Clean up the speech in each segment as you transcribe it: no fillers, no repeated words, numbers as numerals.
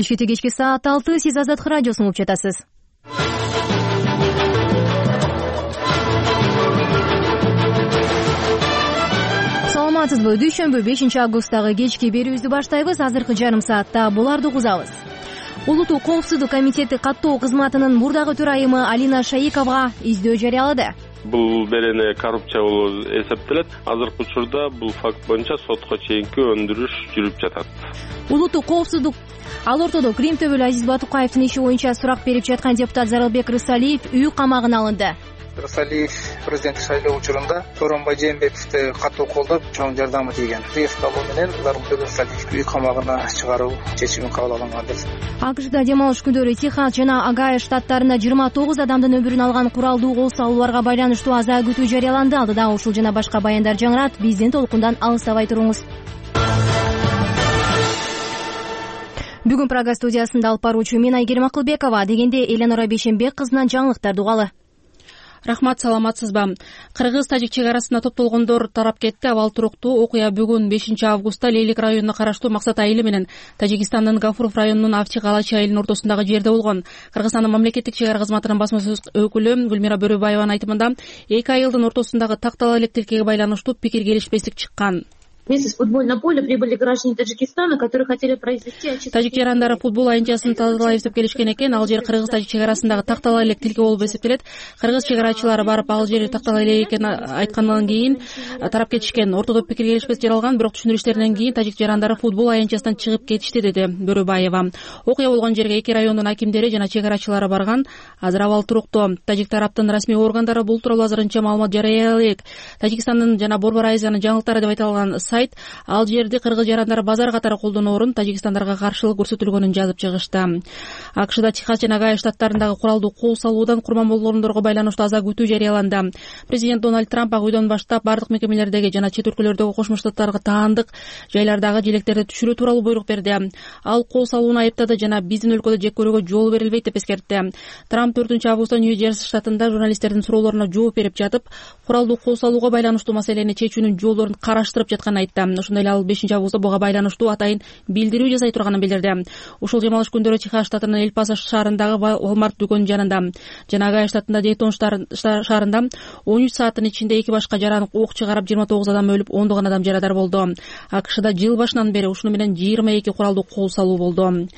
Кечки саат 6 сиз Азаттык радиосун угуп жатасыз. Саламатсызбы? Дүйшөмбү 5-августтагы кечки берүүбүздү баштайбыз. Азыркы жарым саатта буларды угузабыз. Улуттук коопсуздук комитети каттоо кызматынын мурдагы төрайымы Алина Шаиковага издөө жарыялады. Бул берене коррупция болуп эсептелет. Азыркы учурда бул факт боюнча сотко чейинки өндүрүш жүрүп жатат. Улуттук коопсуздук ал ортодо Крим төбөлү Азиз Батукаевдин иши боюнча сурак берип жаткан депутат Зарылбек Рысалиев үй камагына алынды. Рысалиев президенттик шайлоо учурунда Сооронбай Жээнбековди катуу колдоп, чоң жардамы тийген. Приставы менен Зарылбек Рысалиевди үй камагына чыгаруу чечими кабыл алынган. АКШда демалыш күндөрү Техас жана Огайо штаттарында 29 адамдын өмүрүн алган куралдуу кол салууларга байланыштуу аза күтүү жарыяланды. Алдыда ушул жана башка баяндар жаңырат. Биздин толкундан алыстабай туруңуз. Бүгүн Прага студиясында алып баруучу мен Айгерим Акылбекова. Дегенде Эленора Бейшенбек кызынан жаңылыктарды угалы. Рахмат, саламатсызбы? Кыргыз-тажик чек арасында топтолгондор тарап кетти. Абал туруктуу окуя бүгүн 5-августта Лейлик районуна караштуу Максат айылы менен Тажикстандын Гафуров районунун Авчи-Галачи айылынын ортосундагы жерде болгон. Кыргызстандын мамлекеттик чек ара кызматынын басма сөз өкүлү Гүлмира Бөрөбаеванын айтымында эки айылдын ортосундагы тактала элек тилкеге байланыштуу пикир келишпестик чыккан. Вместе с футбольного поля прибыли граждане Таджикистана, которые хотели произвести очистку. Тажик жарандары футбол аянтчасын тазалай эсеп келишкен экен. Ал жер Кыргыз-Тажик чек арасындагы тактала элек тилке болуп эсептелет. Кыргыз чек арачылары барып ал жер тактала элек экенин айткандан кийин тарап кетишкен. Ортодо пикир келишпестик жаралган, бирок түшүндүрүштөрүнөн кийин тажик жарандары футбол аянтчасынан чыгып кетишти, деди Бөрөбаева. Окуя болгон жерге эки райондун акимдери жана чек арачылары барган. Азыр абал туруктуу. Тажик тараптын расмий органдары бул тууралуу азырынча маалымат жарыя элек. Тажикстандын жана Борбор Азиянын жаңылыктары деп айтылган сайт ал жерди кыргыз жарандары базар катары колдоноорун Тажикстандарга каршылык көрсөтүлгөнүн жазып чыгышты. АКШда Техас жана Огайо штаттарындагы куралдуу кол салуудан курман болгондорго байланыштуу аза күтүү жарыяланды. Президент Дональд Трамп ак үйдөн баштап бардык мекемелердеги жана чет өлкөлөрдөгү Кошмо Штаттарга таандык жайлардагы желектерди түшүрүү тууралуу буйрук берди. Ал кол салууну айыптады жана биздин өлкөдө жек көрүүгө жол берилбейт деп эскертти. Трамп 4-августта Нью-Джерси штатында журналисттердин суроолоруна жооп берип жатып, куралдуу кол салууга байланыштуу маселени чечүүнүн жолдорун караштырып жатканын айтты. Ошондой эле ал 5-августта буга байланыштуу атайын билдирүү жасай турганын билдирди. Ушул демалыш күндөрү Техас штатынын Эль-Пасо шаарындагы Walmart дүкөнү жанында жана Огайо штатында Дейтон шаарында 13 сааттын ичинде эки башка жаран ок чыгарып 29 адам өлүп, 10 адам жарадар болду. АКШда жыл башынан бери ушуну менен 22 куралдуу кол салуу болду.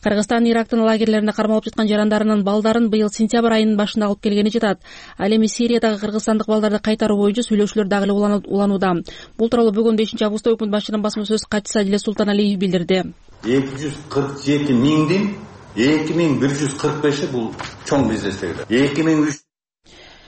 Кыргызстан Ирактын лагерлерине кармалып жаткан жарандарынын балдарын быйыл сентябрь айынын башында алып келгени жатат. Ал эми Сириядагы кыргызстандык балдарды кайтаруу боюнча сүйлөшүүлөр дагы эле уланууда. Бул тууралуу бүгүн 5-августта өкмөт башчынын басма сөз катчысы Адилет Султаналиев билдирди. 247 миңдин 2145 бул чоң бизнестер. 2300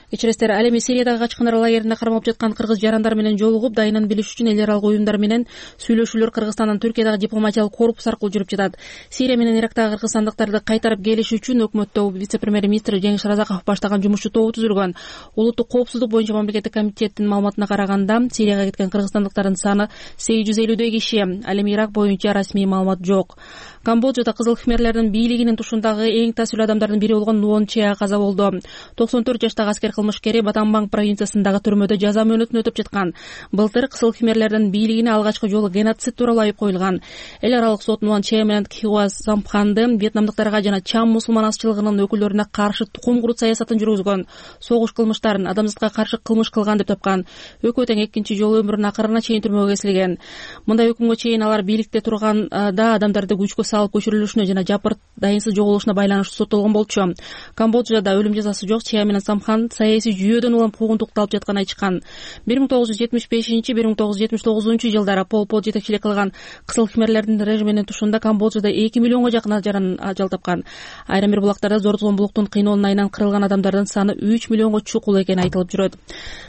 Кечиресиздер, ал эми Сириядагы качкындар лагерине кармалып жаткан кыргыз жарандар менен жолугуп, дайынын билиш үчүн эл аралык уюмдар менен сүйлөшүүлөр Кыргызстандан Түркиядагы дипломатиялык корпус аркылуу жүрүп жатат. Сирия менен Ирактагы кыргызстандыктарды кайтарып келиш үчүн өкмөттө вице-премьер-министр Жеңиш Разаков баштаган жумушчу тобу түзүлгөн. Улуттук коопсуздук боюнча мамлекеттик комитеттин маалыматына караганда, Сирияга кеткен кыргызстандыктардын саны 850 киши. Ал эми Ирак боюнча расмий маалымат жок. Камбоджада кызыл хмерлердин бийлигинин тушундагы эң таасирлүү адамдардын бири болгон Нуон Чеа каза болду. 94 жаштагы аскер кылмышкери Батамбанг провинциясындагы түрмөдө жаза мөөнөтүн өтөп жаткан. Былтыр кызыл хмерлердин бийлигине алгачкы жолу геноцид тууралуу айып коюлган. Эл аралык сот Нуон Чеа менен Кхиуа Сампханды вьетнамдыктарга жана Чам мусулман азчылыгынын өкүлдөрүнө каршы тукум курут саясатын жүргүзгөн, согуш кылмыштарын, адамзатка каршы кылмыш кылган деп тапкан. Өкү тең экинчи жолу өмүрүнүн акырына чейин түрмөгө кесилген. Мындай өкүмгө чейин алар бийликте турганда адамдарды күчкө салып көчүрүлүшүнө жана жапыр дайынсыз жоголушуна байланыштуу соттолгон болчу. Камбоджада өлүм жазасы жок. Чеа менен Самхан саясий жүйөдөн улам куугунтукту алып жатканын айтышкан. 1975-1979 жылдары Пол Пот жетекчилик кылган кызыл хмерлердин режиминин тушунда Камбоджада 2 миллионго жакын жаран ажал тапкан. Айрым бир булактарда зор зомбулуктун кыйноонун айынан кырылган адамдардын саны 3 миллионго чукул экени айтылып жүрөт.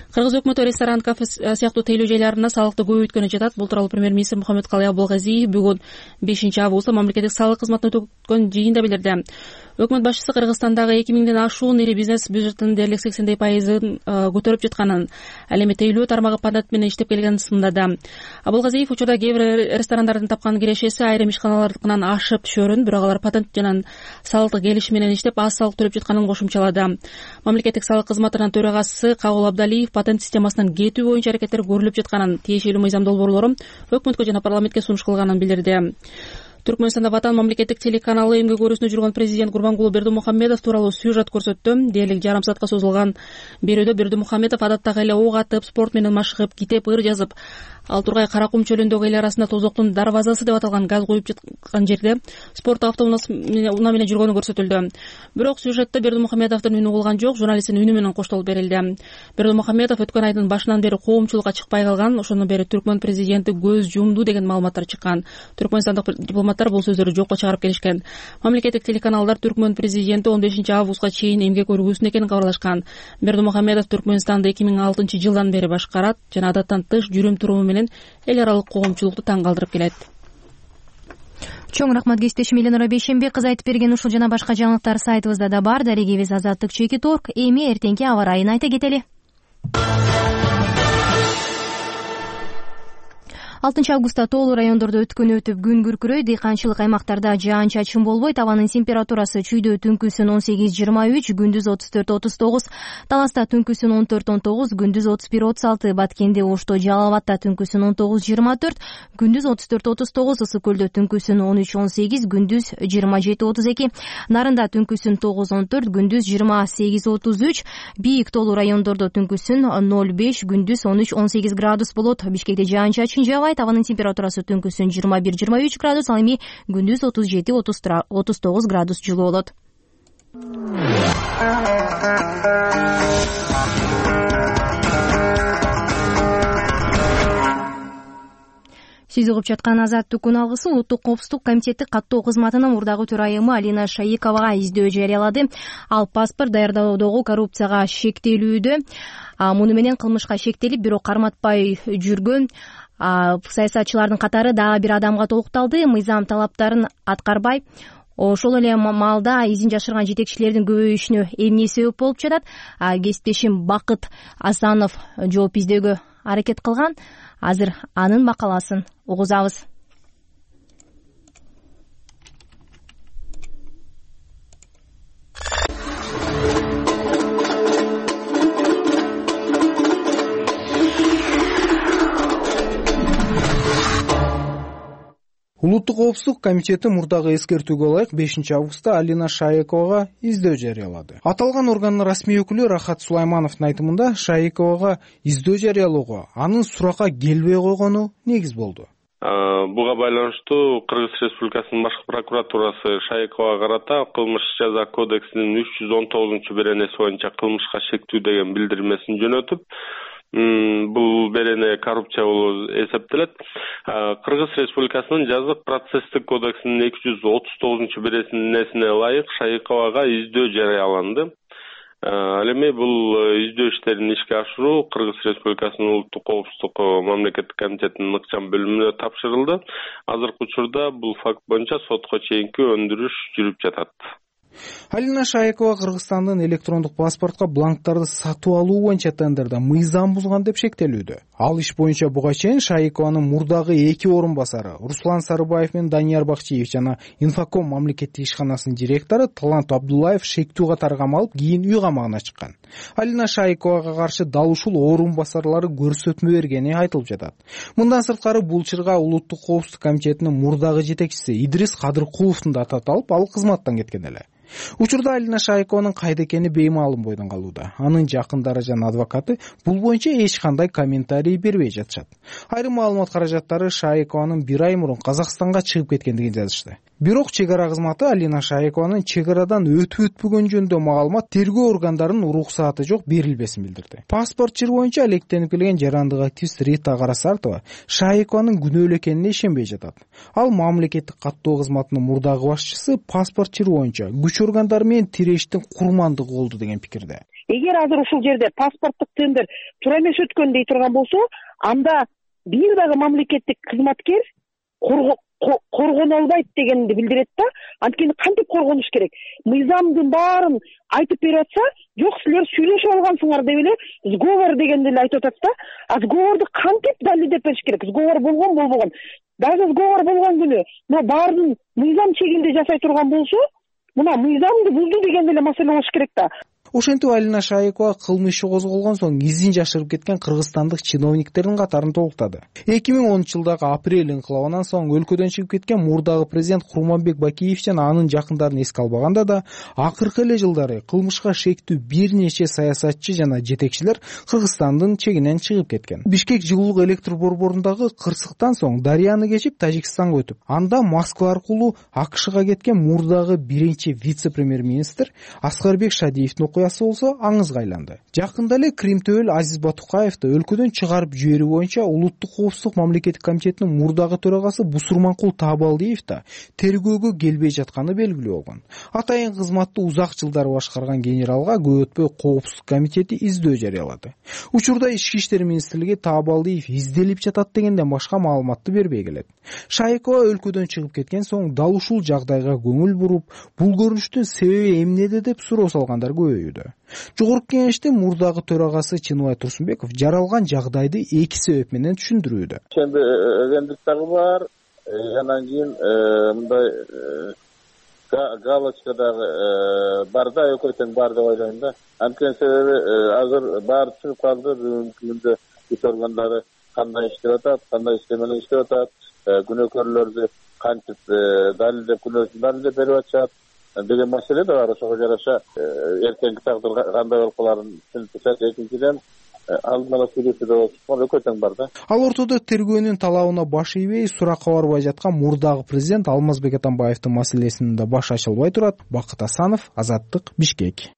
Кыргыз өкмөтү ресторан, кафе сыяктуу тейлөө жайларына салыкты көбөйткөнү жатат. Бул тууралуу премьер-министр Мухаммедкалый Абылгазиев бүгүн 5-августта мамлекеттик салык кызматына өткөн жыйында билдирди. Өкмөт башчысы Кыргызстандагы 2000ден ашуун ири бизнес бюджетинин дээрлик 80% көтөрүп жатканын, ал эми тейлөө тармагы патент менен иштеп келгенин сындады. Абылгазиев учурда кээ бир ресторандардын тапкан кирешеси айрым ишканалардыкынан ашып түшөрүн, бирок алар патент жана салыктык келишим менен иштеп аз салык төлөп жатканын кошумчалады. Мамлекеттик салык кызматынын төрагасы Кабыл Абдалиев патент системасынан кетүү боюнча аракеттер көрүлүп жатканын, тиешелүү мыйзам долбоорлору өкмөткө жана парламентке сунуш кылганын билдирди. Түркмөнстанда Ватан мамлекеттик телеканалы эмгек өрүүсүндө жүргөн президент Гурбангулы Бердимухамедов тууралуу сюжет көрсөттү. Дээрлик жарым саатка созулган берүүдө Бердимухамедов адаттагы эле ок атып, спорт менен машыгып, китеп, ыр жазып, ал Тургай Каракум чөлүндөгү эл арасында тозоктун дарбазасы деп аталган газ куюп жаткан жерде спорт автоунаа менен жүргөнү көрсөтүлдү. Бирок сюжетте Бердимухамедовдун үнү угулган жок, журналисттин үнү менен коштолуп берилди. Бердимухамедов өткөн айдын башынан бери коомчулукка чыкпай калган, ошондон бери Түркмөн президенти көз жумду деген маалыматтар чыккан. Түркмөнстандык дипломаттар бул сөздөрдү жокко чыгарып келишкен. Мамлекеттик телеканалдар Түркмөн президенти 15 августка чейин эмгек өрүүсүндө экенин кабарлашкан. Бердимухамедов Түркмөнстанды 2006 жылдан бери башкарат жана адаттан тыш жүрүм-туруму менен эл аралык коомчулукту таң калтырып келет. Чоң рахмат кесиптешим Эленора Бейшембек кызы айтып берген ушул жана башка жаңылыктар сайтыбызда да бар. Дарегебиз Азаттык Чеки Торг. Эми эртеңки аба ырайын айта кетели. 6 августта тоолуу райондордо өткөн өтүп күн күркүрөйт. Дыйканчылык аймактарда жаан-чачын болбойт. Абанын температурасы чүйдө түнкүсүн 18-23, күндүз 34-39, Таласта түнкүсүн 14-19, күндүз 31-36, Баткенде, Ошто, Жалал Абадта түнкүсүн 19-24, күндүз 34-39, Ысык Көлдө түнкүсүн 13-18, күндүз 27-32, Нарында түнкүсүн 9-14, күндүз 28-33, Бийик тоолуу райондордо түнкүсүн 0-5, күндүз 13-18 градус болот. Бишкекте жаан-чачын жаабайт. Абанын температурасы түнкүсүн 21-23 градус, ал эми күндүз 37-39 градус жылуу болот. Сиз угуп жаткан Азаттык күн алгысы Улуттук коопсуздук комитети каттоо кызматынын мурдагы төрайымы Алина Шаиковага издөө жарыялады. Ал паспорт даярдоодогу коррупцияга шектелүүдө, муну менен кылмышка шектелип, бирок карматпай жүргөн саясатчылардын катары дагы бир адамга толукталды. Мыйзам талаптарын аткарбай, ошол эле маалда изин жашырган жетекчилердин көбөйүшүнө эмне себеп болуп жатат? Кесиптешим Бакыт Асанов жооп издөөгө аракет кылган. Азыр анын макаласын угузабыз. Улуттук коопсуздук комитети мурдагы эскертүүгө ылайык 5 августта Алина Шаиковага издөө жарыялады. Аталган органдын расмий өкүлү Рахат Сулаймановдун айтымында Шаиковага издөө жарыялоого анын суракка келбей койгону негиз болду. Буга байланыштуу Кыргыз Республикасынын башкы прокуратурасы Шаиковага карата кылмыш жаза кодексинин 319-беренеси боюнча кылмышка шектүү деген билдирмесин жөнөтүп, бул берене коррупция болуп эсептелет. Кыргыз Республикасынын жазык процесстик кодексинин 239-беренесине ылайык Шаиковага издөө жарыяланды. Ал эми бул издөө иштерин ишке ашыруу Кыргыз Республикасынын Улуттук коопсуздук мамлекеттик комитетинин ыкчам бөлүмүнө тапшырылды. Азыркы учурда бул факт боюнча сотко чейинки өндүрүш жүрүп жатат. Алина Шаикова Кыргызстандын электрондук паспортко бланктарды сатып алуу боюнча тендерде мыйзам бузган деп шектелүүдө. Ал иш боюнча буга чейин Шаикованын мурдагы 2 орун басары Руслан Сарыбаев менен Данияр Бакчиев жана Инфоком мамлекеттик ишканасынын директору Талант Абдуллаев шектүү катары камалып, кийин үй камагына чыккан. Алина Шаиковага каршы дал ушул орун басарлары көрсөтмө бергени айтылып жатат. Мындан сырткары бул чырга Улуттук коопсуздук комитетинин мурдагы жетекчиси Идрис Кадыркуловдун да аты аталып, ал кызматтан кеткен эле. Учурда Алина Шаикованын кайда экени беймаалым бойдон калууда. Анын жакындары жана адвокаты бул боюнча эч кандай комментарий бербей жатышат. Айрым маалымат каражаттары Шаикованын 1 ай мурун Казакстанга чыгып кеткендигин жазышты. Бирок чек ара кызматы Алина Шаикованын чек арадан өтүп-өтпөгөн жөнүндө маалымат тергөө органдарынын уруксааты жок берилбесин билдирди. Паспорт чыр боюнча алектенип келген жарандык активист Рита Карасартова Шаикованын күнөөлүү экенине ишенбей жатат. Ал мамлекеттик каттоо кызматынын мурдагы башчысы паспорт чыр боюнча күч органдары менен тирештин курмандыгы болду деген пикирде. Эгер азыр ушул жерде паспорттук тендер туура эмес өткөн дей турган болсо, анда бир дагы мамлекеттик кызматкер коргоно албайт дегенди билдирет да. Анткени кантип коргонуш керек? Мыйзамдын баарын айтып берип атса, жок силер сүйлөшүп алгансыңар деп эле сговор дегенди эле айтып атат да. А сговорду кантип далилдеп бериш керек? Сговор болгон болбогон. Даже сговор болгон күнү, мына баарын мыйзам чегинде жасай турган болсо, мына мыйзамды бузду дегенде эле маселе болуш керек да. Ошентип Алина Шаекова кылмыш иши козголгон соң изин жашырып кеткен кыргызстандык чиновниктердин катарын толуктады. 2010-жылдагы апрель инкылабынан соң өлкөдөн чыгып кеткен мурдагы президент Курманбек Бакиев жана анын жакындарын эске албаганда да акыркы эле жылдары кылмышка шектүү бир нече саясатчы жана жетекчилер Кыргызстандын чегинен чыгып кеткен. Бишкек жылуулук электр борборундагы кырсыктан соң Дарыяны кечип Тажикстанга өтүп, анда Москва аркылуу АКШга кеткен мурдагы биринчи вице-премьер-министр Аскарбек Шадиевдин окуясы болсо аңызга айланды. Жакында эле Кримтөбөл Азиз Батукаевди өлкөдөн чыгарып жиберүү боюнча Улуттук коопсуздук мамлекеттик комитетинин мурдагы төрагасы Бусурманкул Таабалдиев да тергөөгө келбей жатканы белгилүү болгон. Атайын кызматты узак жылдар башкарган генералга көп өтпөй коопсуздук комитети издөө жарыялады. Учурда Ички иштер министрлиги Таабалдиев изделип жатат дегенден башка маалыматты бербей келет. Шаекова өлкөдөн чыгып кеткен соң дал ушул жагдайга көңүл буруп, бул көрүнүштүн себеби эмнеде деп суроо салгандар көбөйүүдө. Жогорку кеңештин мурдагы төрагасы Чыныбай Турсунбеков жаралган жагдайды эки себеп менен түшүндүрүүдө. Ошондо өгөндүк дагы бар, анан кийин мындай галочка дагы бар да, экөө тең бар деп ойлойм да. Анткени себеби азыр баары түшүнүп калды, бүгүнкү күндө иш органдары кандай иштеп атат, кандай иште менен иштеп атат, күнөөкөрлөрдү кантип далилдеп, күнөөсүн далилдеп берип атышат деген маселе да бар. Ошого жараша эртеңки тагдыр кандай болуп каларын түшүнүп атышат. Экинчиден алдын ала сүйлөшүүдө болсун экөө тең бар да. Ал ортодо тергөөнүн талабына баш ийбей, суракка барбай жаткан мурдагы президент Алмазбек Атамбаевдин маселесинин да башы ачылбай турат. Бакыт Асанов, Азаттык, Бишкек.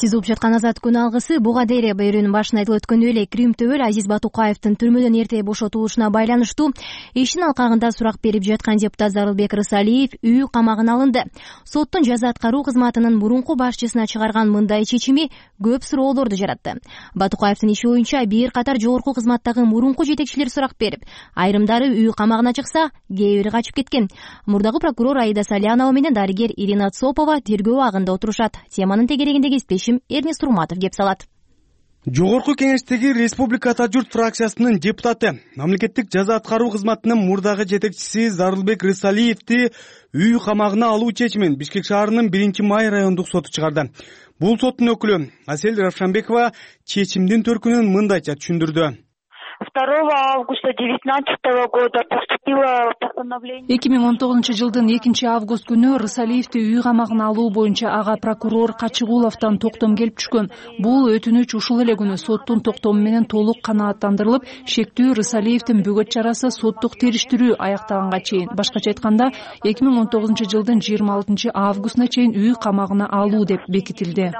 Сиз угуп жаткан Азат күн алгысы. Буга дейре берүүнүн башында айтылып өткөндөй эле Кримтөбөл Азиз Батукаевдин түрмөдөн эрте бошотулушуна байланыштуу ишин алкагында сурак берип жаткан депутат Зарылбек Рысалиев үй камагына алынды. Соттун жаза аткаруу кызматынын мурунку башчысына чыгарган мындай чечими көп суроолорду жаратты. Батукаевдин иши боюнча бир катар жогорку кызматтагы мурунку жетекчилер сурак берип, айрымдары үй камагына чыкса, кээ бири качып кеткен. Мурдагы прокурор Аида Салянова менен дарыгер Ирина Цопова тергөө абагында отурушат. Теманын тегерегинде кесиптешим Эрнест Урматов кеп салат. Жогорку кеңештеги Республика Ата журт фракциясынын депутаты, мамлекеттик жаза аткаруу кызматынын мурдагы жетекчиси Зарылбек Рысалиевди үй камагына алуу чечимин Бишкек шаарынын 1-май райондук соту чыгарды. Бул соттун өкүлү Асель Равшанбекова чечимдин төркүнүн мындайча түшүндүрдү. 2 августа 2019 года поступило постановление. 2019 жылдын 2 август күнү Рысалиевди үй камагына алуу боюнча ага прокурор Качыгуловдон токтом келип түшкөн. Бул өтүнүч ушул эле күнү соттун токтому менен толук канааттандырылып, шектүү Рысалиевдин бөгөт чарасы соттук териштирүү аяктаганга чейин, башкача айтканда 2019 жылдын 26 августуна чейин үй камагына алуу деп бекитилди.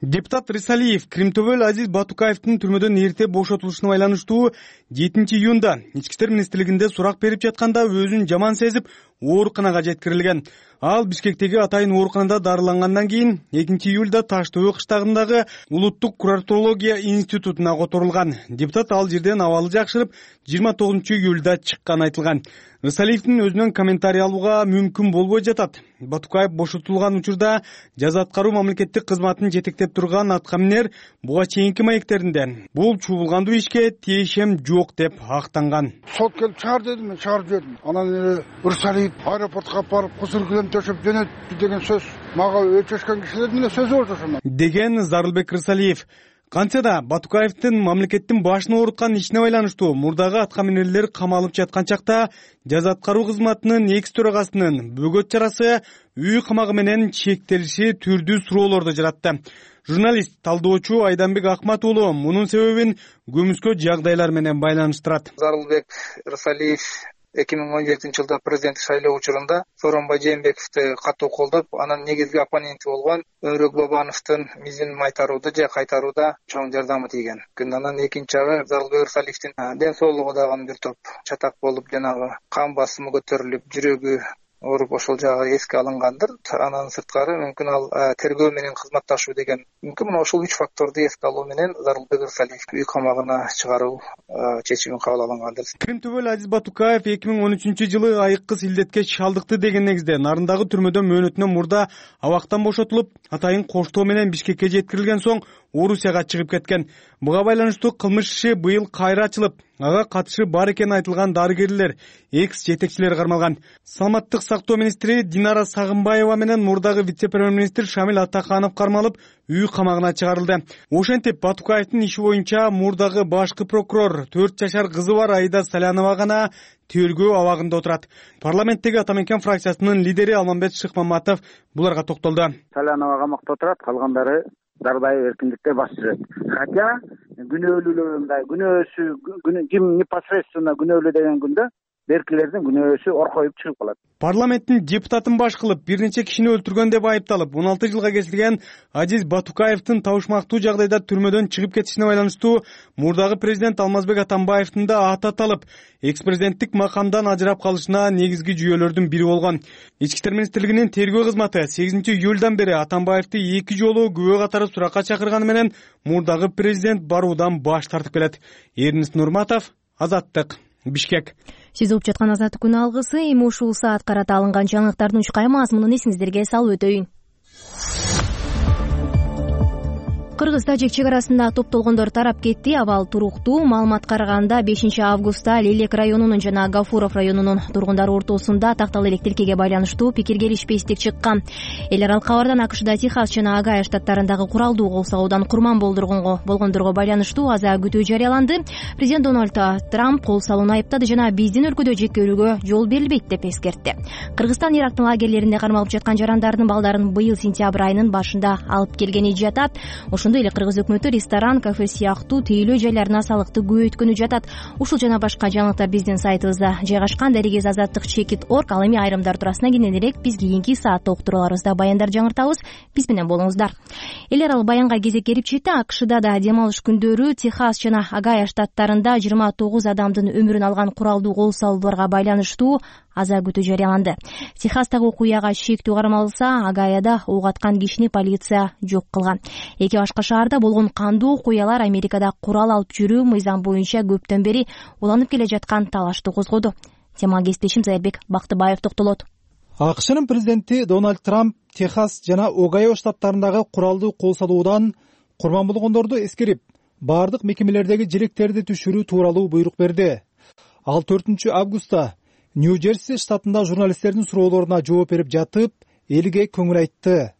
Депутат Рысалиев Кримтөбөл Азиз Батукаевдин түрмөдөн эрте бошотулушуна байланыштуу 7 июнда Ички иштер министрлигинде сурак берип жатканда өзүн жаман сезип, ооруканага жеткирилген. Ал Бишкектеги атайын ооруканада дарылангандан кийин 2 июлда Таш-Төбө кыштагындагы Улуттук курортология институтуна которулган. Депутат ал жерден абалы жакшырып 29 июлда чыкканы айтылган. Рысалиевдин өзүнөн комментарий алууга мүмкүн болбой жатат. Батукаев бошотулган учурда жаза аткаруу мамлекеттик кызматын жетектеп турган аткаминер буга чейинки маектеринде бул чуулгандуу ишке тиешем жок деп актанган. Сот келип чыгар деди, мен чыгарып жибердим. Анан Рысалиев аэропортко алып барып кысыр килем төшөп жөнөттү деген сөз мага өчөшкөн кишилердин эле сөзү болчу ошондо. Деген Зарылбек Рысалиев. Кантсе да Батукаевдин мамлекеттин башын ооруткан ишине байланыштуу мурдагы аткаминерлер камалып жаткан чакта жаза аткаруу кызматынын экс төрагасынын бөгөт чарасы үй камагы менен чектелиши түрдүү суроолорду жаратты. Журналист, талдоочу Айданбек Акмат уулу мунун себебин көмүскө жагдайлар менен байланыштырат. Зарылбек Рысалиев 2017 жылда президенттик шайлоо учурунда Сооронбай Жээнбековду катуу колдоп, анын негизги оппоненти болгон Өрөк Бабановдун мизин майтарууда же кайтарууда чоң жардамы тийген. Анан экинчи жагы Зарылбек Рысалиевдин ден соолугу дагы бир топ чатак болуп, жанагы кан басымы көтөрүлүп, жүрөгү ооруп ошол жагы эске алынгандыр. Анан сырткары мүмкүн ал тергөө менен кызматташуу деген мүмкүн. Мына ошол 3 факторду эске алуу менен Зарылбек Рысалиевди үй камагына чыгаруу чечими кабыл алынгандыр. Кримтөбөл Азиз Батукаев 2013 жылы айыккыс илдетке чалдыкты деген негизде нарындагы түрмөдөн мөөнөтүнөн мурда абактан бошотулуп, атайын коштоо менен Бишкекке жеткирилген соң Орусияга чыгып кеткен. Буга байланыштуу кылмыш иши быйыл кайра ачылып, ага катышы бар экени айтылган дарыгерлер, экс-жетекчилер кармалган. Саламаттык сактоо министри Динара Сагынбаева менен мурдагы вице-премьер-министр Шамил Атаканов кармалып, үй камагына чыгарылды. Ошентип Батукаевдин иши боюнча мурдагы башкы прокурор 4 жашар кызы бар Аида Салянова гана тергөө абагында отурат. Парламенттеги Ата Мекен фракциясынын лидери Алмамбет Шыкмаматов буларга токтолду. Салянова камакта отурат, калгандары дарбай эркиндикте басып жүрөт. Хотя күнөөлүүлөр мындай күнөөсү ким непосредственно күнөөлүү деген күндө беркилердин күнөөсү оркоюп чыгып калат. Парламенттин депутатын баш кылып, бир нече кишини өлтүргөн деп айыпталып, 16 жылга кесилген Азиз Батукаевдин табышмактуу жагдайда түрмөдөн чыгып кетишине байланыштуу мурдагы президент Алмазбек Атамбаевдин да аты аталып, экс-президенттик макамдан ажырап калышына негизги жүйөлөрдүн бири болгон. Ички иштер министрлигинин тергөө кызматы 8-июлдан бери Атамбаевди 2 жолу күбө катары суракка чакырганы менен мурдагы президент баруудан баш тартып келет. Эрнис Нурматов, Азаттык, Бишкек. Сиз угуп жаткан Азаттык күн алгысы, эми ушул саат карата алынган жаңылыктардын учкай мазмунун эсиңиздерге салып өтөйүн. Кыргыз-Тажик чек арасында топтолгондор тарап кетти. Абал туруктуу. Маалымат караганда 5-августта Лелек районунун жана Гафуров районунун тургундары ортосунда тактал элек тилкеге байланыштуу пикир келишпестик чыккан. Эл аралык кабардан АКШда Техас жана Огайо штаттарындагы куралдуу кол салуудан курман болгондорго байланыштуу аза күтүү жарыяланды. Президент Дональд Трамп кол салууну айыптады жана биздин өлкөдө жеккөрүүгө жол берилбейт деп эскертти. Кыргызстан Ирактын лагерлеринде кармалып жаткан жарандардын балдарын быйыл сентябрь айынын башында алып келгени жатат. Ошондой эле Кыргыз өкмөтү ресторан, кафе сыяктуу тейлөө жайларына салыкты көбөйткөнү жатат. Ушул жана башка жаңылыктар биздин сайтыбызда жайгашкан. Дарегез Азаттык Чекит.org. Ал эми айрымдар туурасына кененирээк биз кийинки саатта уктурууларыбызда баяндар жаңыртабыз. Биз менен болуңуздар. Эл аралык баянга кезек келип жетти. АКШда да дем алыш күндөрү Техас жана Огайо штаттарында 29 адамдын өмүрүн алган куралдуу кол салууларга байланыштуу аза күтүү жарыяланды. Техастагы окуяга шектүү кармалса, Огайода ок аткан кишини полиция жок кылган. Эки башка шаарда болгон кандуу окуялар Америкада курал алып жүрүү мыйзам боюнча көптөн бери уланып келе жаткан талашты козгоду. Темага кесиптешим Зайырбек Бактыбаев токтолот. АКШнын президенти Дональд Трамп Техас жана Огайо штаттарындагы куралдуу кол салуудан курман болгондорду эскерип, бардык мекемелердеги желектерди түшүрүү тууралуу буйрук берди. Ал 4-августта Нью-Джерси штатында журналисттердин суроолоруна жооп берип жатып, элге көңүл айтты.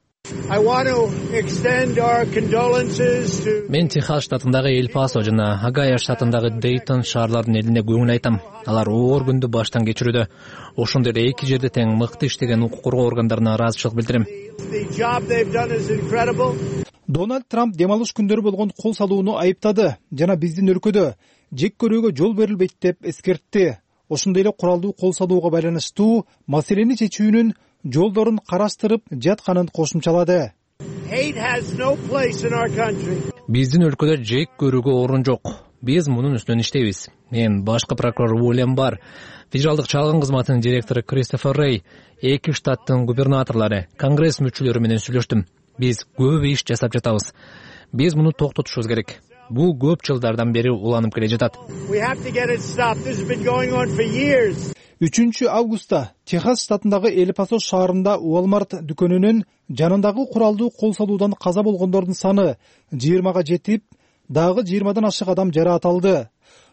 Мен Техас штатындагы Эль-Пасо жана Огайо штатындагы Дейтон шаарлардын элине көңүл айтам. Алар оор күндү баштан кечирүүдө. Ошондой эле эки жерде тең мыкты иштеген укук коргоо органдарына ыраазычылык билдирем. Дональд Трамп дем алыш күндөрү болгон кол салууну айыптады жана биздин өлкөдө жек көрүүгө жол берилбейт деп эскертти. Ошондой эле куралдуу кол салууга байланыштуу маселени чечүүнүн жолдорун караштырып жатканын кошумчалады. Биздин өлкөдө жек көрүүгө орун жок. Биз мунун үстүнөн иштейбиз. Мен башкы прокурор Уильям Бар, федералдык чалгын кызматынын директору Кристофер Рей, эки штаттын губернаторлору, конгресс мүчөлөрү менен сүйлөштүм. Биз көп иш жасап жатабыз. Биз муну токтотушубуз керек. Бул көп жылдардан бери уланып келе жатат. 3-августта Техас штатындагы Эль-Пасо шаарында Walmart дүкөнүнүн жанындагы куралдуу кол салуудан каза болгондордун саны 20-га жетип, дагы 20-дан ашык адам жараат алды.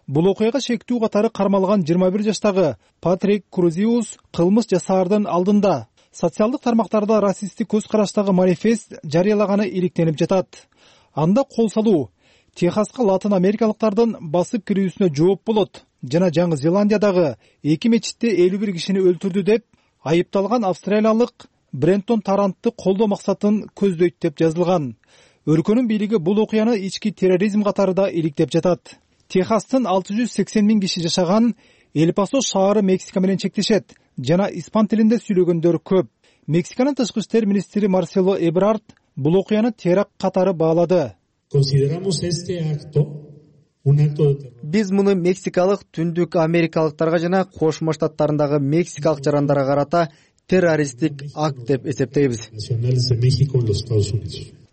Бул окуяга шектүү катары кармалган 21 жаштагы Патрик Крузиус кылмыш жасаардын алдында социалдык тармактарда расисттик көз караштагы манифест жарыялаганы иликтенип жатат. Анда кол салуу Техаска латын америкалыктардын басып кирүүсүнө жооп болот жана Жаңы Зеландиядагы эки мечитте 51 кишини өлтүрдү деп айыпталган австралиялык Брентон Тарантты колдоо максатын көздөйт деп жазылган. Өлкөнүн бийлиги бул окуяны ички терроризм катары да иликтеп жатат. Техастын 680 000 киши жашаган Эль-Пасо шаары Мексика менен чектешет жана испан тилинде сүйлөгөндөр көп. Мексиканын тышкы иштер министри Марсело Эбрард бул окуяны теракт катары баалады. Биз муну мексикалык, түндүк америкалыктарга жана Кошмо Штаттарындагы мексикалык жарандарга карата террористтик акт деп эсептейбиз.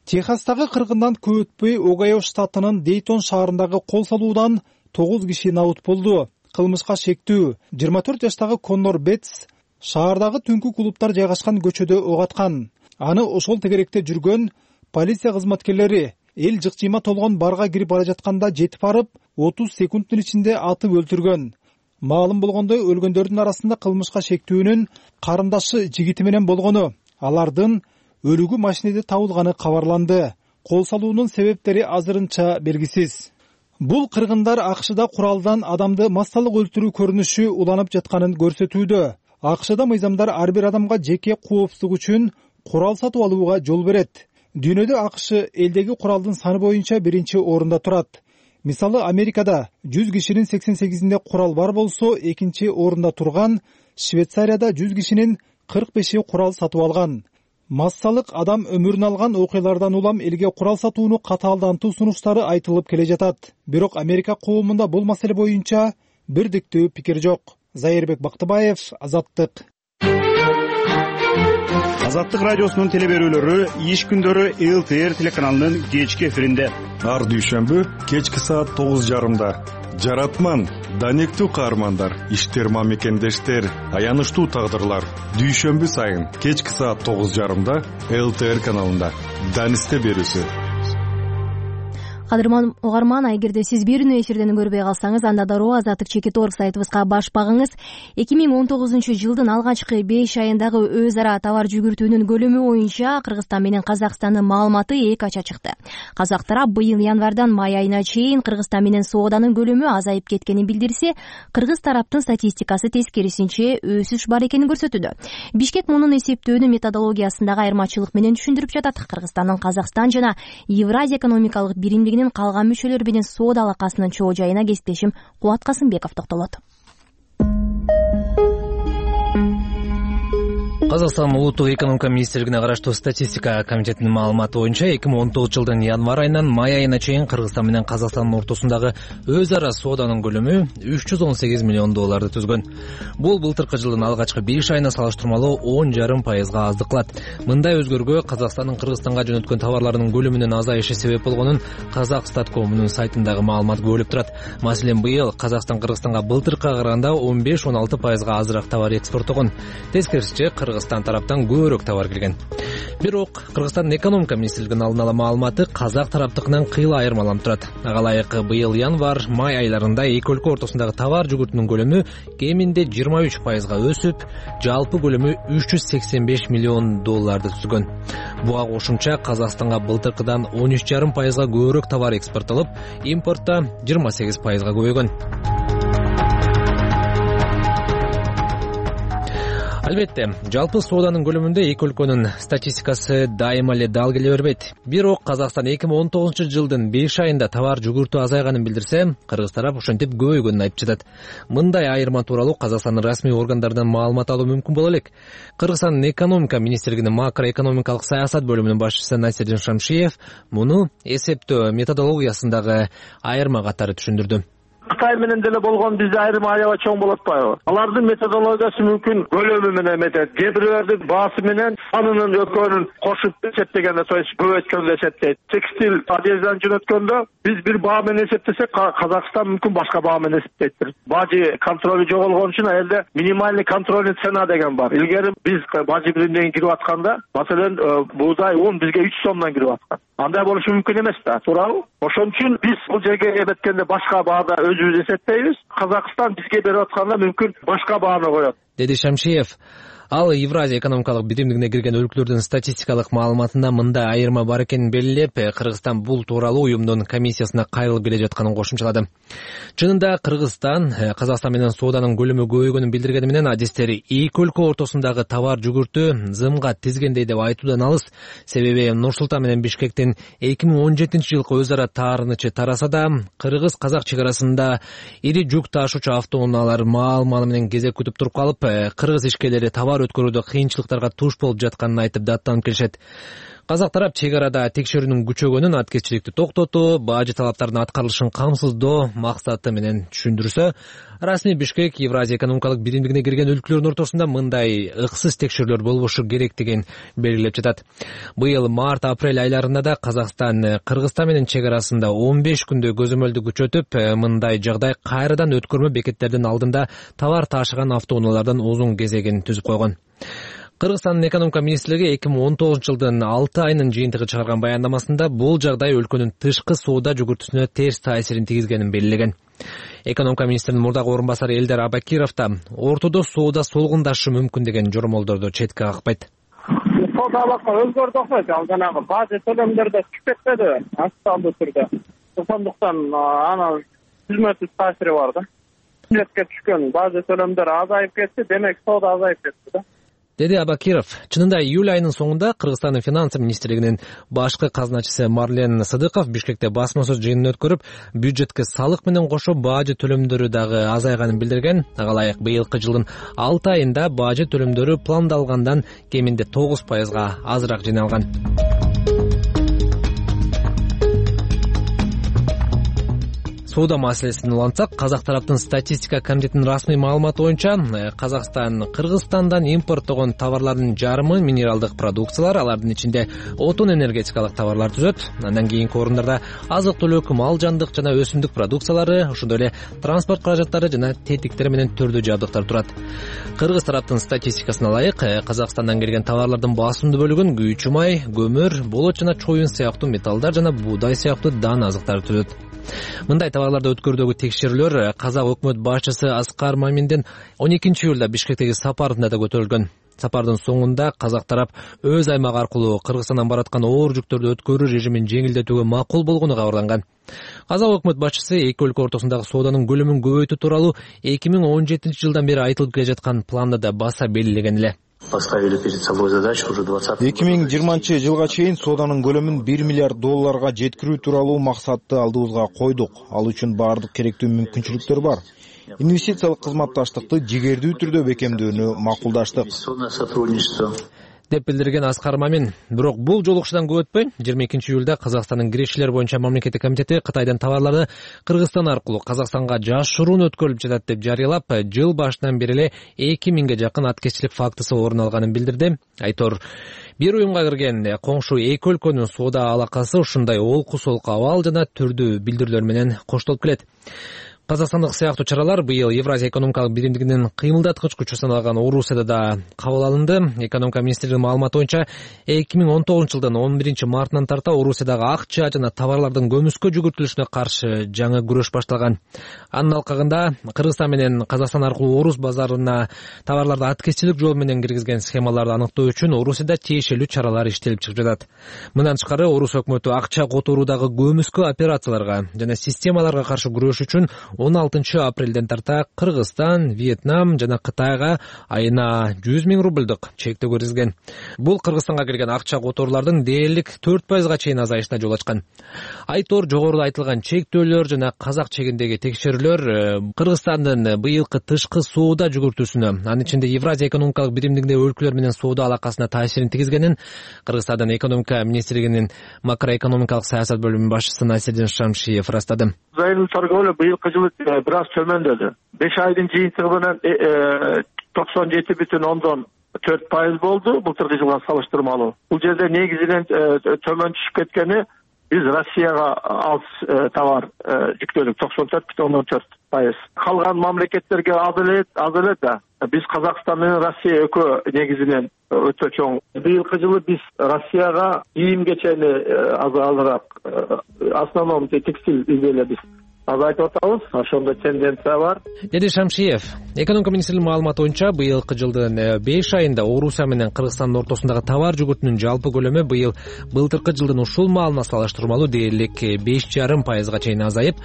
Техастагы кыргындан көп өтпөй Огайо штатынын Дейтон шаарындагы кол салуудан 9 киши наут болду. Кылмышка шектүү 24 жаштагы Коннор Бетс шаардагы түнкү клубтар жайгашкан көчөдө ок аткан. Аны ошол тегеректе жүргөн полиция кызматкерлери эл жыкчыйма толгон барга кирип бара жатканда жетип барып 30 секундтун ичинде атып өлтүргөн. Маалым болгондой, өлгөндөрдүн арасында кылмышка шектүүнүн карындашы жигити менен болгону. Алардын өлүгү машинеде табылганы кабарланды. Кол салуунун себептери азырынча белгисиз. Бул кыргындар АКШда куралдан адамды массалык өлтүрүү көрүнүшү уланып жатканын көрсөтүүдө. АКШда мыйзамдар ар бир адамга жеке коопсуздук үчүн курал сатып алууга жол берет. Дүйнөдө АКШ элдеги куралдын саны боюнча биринчи орунда турат. Мисалы, Америкада 100 кишинин 88-inde курал бар болсо, экинчи орунда турган Швейцарияда 100 кишинин 45-и курал сатып алган. Массалык адам өмүрүн алган окуялардан улам элге курал сатууну катаалдантуу сунуштары айтылып келе жатат. Бирок Америка коомунда бул маселе боюнча бирдиктүү пикир жок. Зайырбек Бактыбаев, Азаттык. Азаттык радиосунун телеберүүлөрү иш күндөрү ЛТР телеканалынын кечки эфиринде. Ар дүйшөмбү кечки саат 9:30. Жаратман, данектүү каармандар, иштерма мекендештер, аянычтуу тагдырлар. Дүйшөмбү сайын кечки саат 9:30 ЛТР каналында. Данисте берүүсү. Кадырман угарман, эгерде сиз берүүнү эфирден көрбөй калсаңыз, анда дароо Азаттык.org сайтыбызга баш багыңыз. 2019-жылдын алгачкы 5 айындагы өз ара товар жүгүртүүнүн көлөмү боюнча Кыргызстан менен Казакстандын маалыматы эки ача чыкты. Казак тарап быйыл январдан май айына чейин Кыргызстан менен сооданын көлөмү азайып кеткенин билдирсе, кыргыз тараптын статистикасы тескерисинче өсүш бар экенин көрсөтүүдө. Бишкек мунун эсептөөнү методологиясындагы айырмачылык менен түшүндүрүп жатат. Кыргызстандын Казакстан жана Евразия экономикалык биримдиги калган мүчөлөр менен соода алакасынын чоо жайына кесиптешим Кубат Касымбеков токтолот. Казакстан улуттук экономика министрлигине караштуу статистика комитетинин маалыматы боюнча 2019-жылдын январ айынан май айына чейин Кыргызстан менен Казакстандын ортосундагы өз ара сооданын көлөмү $318 миллион түзгөн. Бул былтыркы жылдын алгачкы 5 айына салыштырмалуу 10,5% аздык кылат. Мындай өзгөрүүгө Казакстандын Кыргызстанга жөнөткөн товарларынын көлөмүнүн азайышы себеп болгонун Казакстаткомунун сайтындагы маалымат көрүлүп турат. Маселен, быйыл Казакстан Кыргызстанга былтыркыга караганда 15-16% азыраак товар экспорттогон. Тескерисинче Кыргызстан тараптан көбүрөөк товар келген. Бирок Кыргызстандын экономика министрлигинин алдын ала маалыматы казак тараптыкынан кыйла айырмаланып турат. Ага ылайык быйыл январ-май айларында эки өлкө ортосундагы товар жүгүртүүнүн көлөмү кеминде 23% өсүп, жалпы көлөмү $385 миллион түзгөн. Буга кошумча Казакстанга былтыркыдан 13,5% көбүрөөк товар экспорттолуп, импортто 28% көбөйгөн. Албетте, жалпы сооданын көлөмүндө эки өлкөнүн статистикасы дайыма эле дал келе бербейт. Бирок Казакстан 2019-жылдын 5 айында товар жүгүртүү азайганын билдирсе, кыргыз тарап ошентип көбөйгөнүн айтып жатат. Мындай айырма тууралуу Казакстандын расмий органдарынан маалымат алуу мүмкүн боло элек. Кыргызстандын экономика министрлигинин макроэкономикалык саясат бөлүмүнүн башчысы Насирдин Шамшиев муну эсептөө методологиясындагы айырма катары түшүндүрдү. Кытай менен деле болгон бизде айырма аябай чоң болуп атпайбы? Алардын методологиясы мүмкүн көлөмү менен эметет. Кээ бирлердин баасы менен санынын экөөнүн кошуп эсептегенде, то есть көбөйткөндө эсептейт. Текстиль одежданы жөнөткөндө биз бир баа менен эсептесек, Казакстан мүмкүн башка баа менен эсептейт. Бажы контролу жоголгон үчүн элде минимальный контрольный цена деген бар. Илгери биз бажы биримден кирип атканда, маселен, буудай un бизге 3 сомдон кирип аткан. Андай болушу мүмкүн эмес да, туурабы? Ошон үчүн биз бул жерге эметкенде башка баада өзүбүз эсептейбиз. Казакстан бизге берип атканда мүмкүн башка бааны коет, деди Шамшиев. Ал Евразия экономикалык биримдигине кирген өлкөлөрдүн статистикалык маалыматында мындай айырма бар экенин белгилеп, Кыргызстан бул тууралуу уюмдун комиссиясына кайрылып келе жатканын кошумчалады. Чынында Кыргызстан Казакстан менен сооданын көлөмү көбөйгөнүн билдиргени менен адистери эки өлкө ортосундагы товар жүгүртүү зымга тизгендей деп айтуудан алыс. Себеби Нур-Султан менен Бишкектин 2017-жылкы өз ара таарынычы тараса да, кыргыз-казак чек арасында ири жүк ташуучу автоунаалар маал-малы менен кезек күтүп туруп калып, кыргыз ишкерлери товар өткөрүүдө кыйынчылыктарга туш болуп жатканын айтып даттанып келишет. Казак тарап чек арада текшерүүнүн күчөгөнүн, аткезчиликти токтотуу, бажы талаптарынын аткарылышын камсыздоо максаты менен түшүндүрсө, расмий Бишкек Евразия экономикалык биримдигине кирген өлкөлөрдүн ортосунда мындай ыксыз текшерүүлөр болбошу керектигин белгилеп жатат. Быйыл март-апрель айларында да Казакстан Кыргызстан менен чек арасында 15 күндө көзөмөлдү күчөтүп, мындай жагдай кайрадан өткөрмө бекеттердин алдында товар ташыган автоунаалардын узун кезегин түзүп койгон. Кыргызстандын экономика министрлиги 2019-жылдын 6 айынын жыйынтыгы чыгарган баяндамасында бул жагдай өлкөнүн тышкы соода жүгүртүүсүнө терс таасирин тийгизгенин белгилеген. Экономика министринин мурдагы орун басары Элдар Абакиров да ортодо соода солгундашы мүмкүн деген жормолдорду четке какпайт. Соода алака өзгөрдү окшойт, ал жанагы бажы төлөмдөр да түшүп кетпеди актуалдуу түрдө. Ошондуктан анын түзмөсүз таасири бар да. Бюджетке түшкөн бажы төлөмдөр азайып кетти, демек соода азайып кетти да. Деди Абакиров. Чынында июль айынын соңунда Кыргызстандын финансы министрлигинин башкы казначысы Марлен Сыдыков Бишкекте басма сөз жыйынын өткөрүп, бюджетке салык менен кошо бажы төлөмдөрү дагы азайганын билдирген. Ага ылайык быйылкы жылдын 6 айында бажы төлөмдөрү пландалгандан кеминде 9%га азыраак жыйналган. Соода маселесин улантсак, Казак тараптын статистика комитетинин расмий маалыматы боюнча, Казакстан Кыргызстандан импорттогон товарлардын жарымы минералдык продукциялар, алардын ичинде отун энергетикалык товарлар түзөт. Андан кийинки орундарда азык-түлүк, мал жандык жана өсүмдүк продукциялары, ошондой эле транспорт каражаттары жана тетиктер менен түрдүү жабдыктар турат. Кыргыз тараптын статистикасына ылайык, Казакстандан келген товарлардын басымдуу бөлүгүн күйүүчү май, көмүр, болот жана чоюн сыяктуу металлдар жана буудай сыяктуу дан азыктар түзөт. Мындай товарларды өткөрүүдөгү текшерүүлөр Казак өкмөт башчысы Аскар Маминдин 12-июлда Бишкектеги сапарында да көтөрүлгөн. Сапардын соңунда Казак тарап өз аймагы аркылуу Кыргызстандан бараткан оор жүктөрдү өткөрүү режимин жеңилдетүүгө макул болгону кабарланган. Казак өкмөт башчысы эки өлкө ортосундагы сооданын көлөмүн көбөйтүү тууралуу 2017-жылдан бери айтылып келе жаткан планды да баса белгилеген эле. Поставили перед собой задачу уже 2020-жылга чейин сооданын көлөмүн $1 миллиард жеткирүү тууралуу максатты алдыбызга койдук. Ал үчүн баардык керектүү мүмкүнчүлүктөр бар. Инвестициялык кызматташтыкты жигердүү түрдө бекемдөөнү макулдаштык, деп билдирген Аскар Мамин. Бирок бул жолугушуудан көп өтпөй 22-июлда Казакстандын кирешилер боюнча мамлекеттик комитети Кытайдан товарларды Кыргызстан аркылуу Казакстанга жашыруун өткөрүлүп жатат деп жарыялап, жыл башынан бери эле 2000ге жакын аткезчилик фактысы орун алганын билдирди. Айтор, бир уюмга кирген коңшу эки өлкөнүн соода алакасы ушундай олку-солку абал жана түрдүү билдирүүлөр менен коштолуп келет. Казакстандык сыяктуу чаралар быйыл Евразия экономикалык биримдигинин кыймылдаткыч күчү саналган Орусияда да кабыл алынды. Экономика министрлигинин маалыматы боюнча 2019-жылдын 11-мартынан тарта Орусиядагы акча жана товарлардын көмүскө жүгүртүлүшүнө каршы жаңы күрөш башталган. Анын алкагында Кыргызстан менен Казакстан аркылуу Орус базарына товарларды аткезчилик жол менен киргизген схемаларды аныктоо үчүн Орусияда тиешелүү чаралар иштелип чыгып жатат. Мындан тышкары Орус өкмөтү акча которуудагы көмүскө операцияларга жана системаларга каршы күрөш үчүн 16 апрелден тарта Кыргызстан, Вьетнам жана Кытайга айына 100 000 рубльдук чектөө киргизген. Бул Кыргызстанга келген акча которуулардын дээрлик 4%га чейин азайышына жол ачкан. Айтор жогоруда айтылган чектөөлөр жана казак чегиндеги текшерүүлөр Кыргызстандын быйылкы тышкы соода жүгүртүүсүнө, анын ичинде Евразия экономикалык биримдигиндеги өлкөлөр менен соода алакасына таасирин тийгизгенин Кыргызстандын экономика министрлигинин макроэкономикалык саясат бөлүмүнүн башчысы Насирдин Шамшиев ырастады. Айрым торговля быйылкы жылы бир аз төмөндөдү. 5 айдын жыйынтыгы менен 97,4% болду былтыркы жылга салыштырмалуу. Бул жерде негизинен төмөн түшүп кеткени биз Россияга алыс товар жүктөдүк 94,4%. Калган мамлекеттерге аз эле да. Биз Казакстан менен Россия экөө негизинен өтө чоң. Быйылкы жылы биз Россияга кийим кечени азыраак основном текстиль изделия биз азайтып атабыз. Ошондой тенденция бар. Деди Шамшиев. Экономика министрлигинин маалыматы боюнча быйылкы жылдын 5 айында Орусия менен Кыргызстандын ортосундагы товар жүгүртүүнүн жалпы көлөмү быйыл былтыркы жылдын ушул маалына салыштырмалуу дээрлик 5,5% чейин азайып,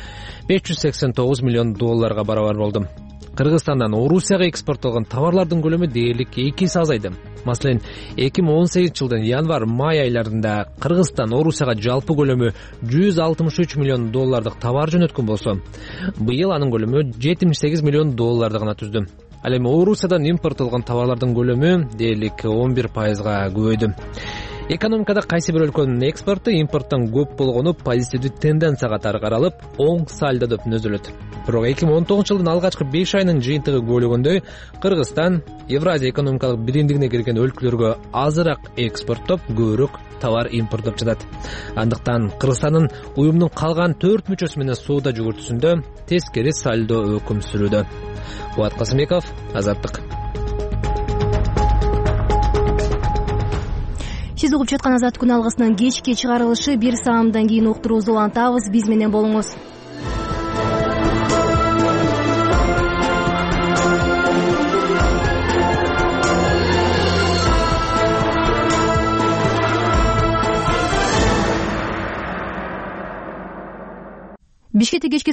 $589 миллион барабар болду. Кыргызстандан Орусияга экспорттолгон товарлардын көлөмү дээрлик 2 эсе азайды. Маселен, 2018-жылдын январь-май айларында Кыргызстан Орусияга жалпы көлөмү $163 миллион товар жөнөткөн болсо, быйыл анын көлөмү $78 миллион гана түздү. Ал эми Орусиядан импорттолгон товарлардын көлөмү дээрлик 11%га көбөйдү. Экономикада кайсы бир өлкөнүн экспорту импорттон көп болгону позитивдүү тенденция катары каралып, оң сальдо деп түзүлөт. Бирок 2019-жылдын алгачкы 5 айынын жыйынтыгы бөлүгүндөй Кыргызстан Евразия экономикалык биримдигине кирген өлкөлөргө азыраак экспорттоп, көбүрөөк товар импорттоп жатат. Андыктан Кыргызстандын уюмдун калган 4 мүчөсү менен соода жүгүртүүсүндө тескери сальдо өкүм сүрүүдө. Кубат Касымбеков, Азаттык. Сиз угуп жаткан Азат күн алгысынын кечки чыгарылышы 1 саамдан кийин уктуруубузду улантабыз. Биз менен болуңуз. Бишкекте кечки